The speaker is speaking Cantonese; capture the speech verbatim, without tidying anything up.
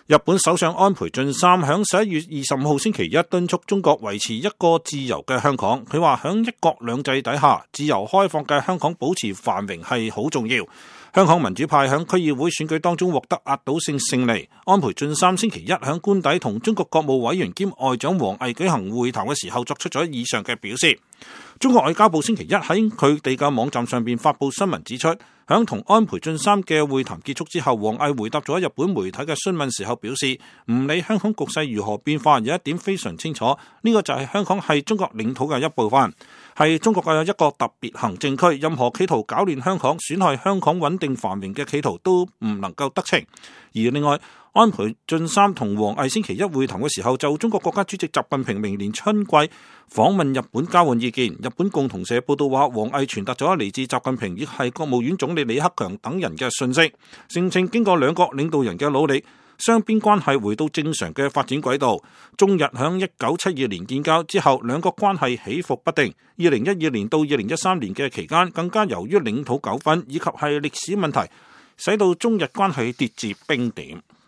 日本首相安倍晉三響十一月二十五號星期一敦促中國維持一個自由嘅香港。佢話響一國兩制底下，自由開放嘅香港保持繁榮係好重要。香港民主派響區議會選舉當中獲得壓倒性勝利。安倍晉三星期一響官邸同中國國務委員兼外長王毅舉行會談嘅時候作出咗以上嘅表示。中國外交部星期一喺佢哋嘅網站上邊發布新聞指出，響同安倍晉三嘅會談結束之後，王毅回答咗日本媒體嘅詢問時候表示，唔理香港局勢如何變化，有一點非常清楚，呢個就係香港係中國領土嘅一部分，係中國嘅一個特別行政區，任何企圖搞亂香港、損害香港穩定繁榮嘅企圖都唔能夠得逞。而另外，安倍晉三同王毅星期一會談嘅時候，就中國國家主席習近平明年春季訪問日本交換意見。日本共同社報道話，王毅傳達咗嚟自習近平亦係國務院總理李克強等人嘅訊息，聲稱經過兩國領導人嘅努力，雙邊關係回到正常嘅發展軌道。中日響一九七二年建交之後，兩國關係起伏不定。二零一二年到二零一三年嘅期間，更加由於領土糾紛以及係歷史問題，使到中日關係跌至冰點。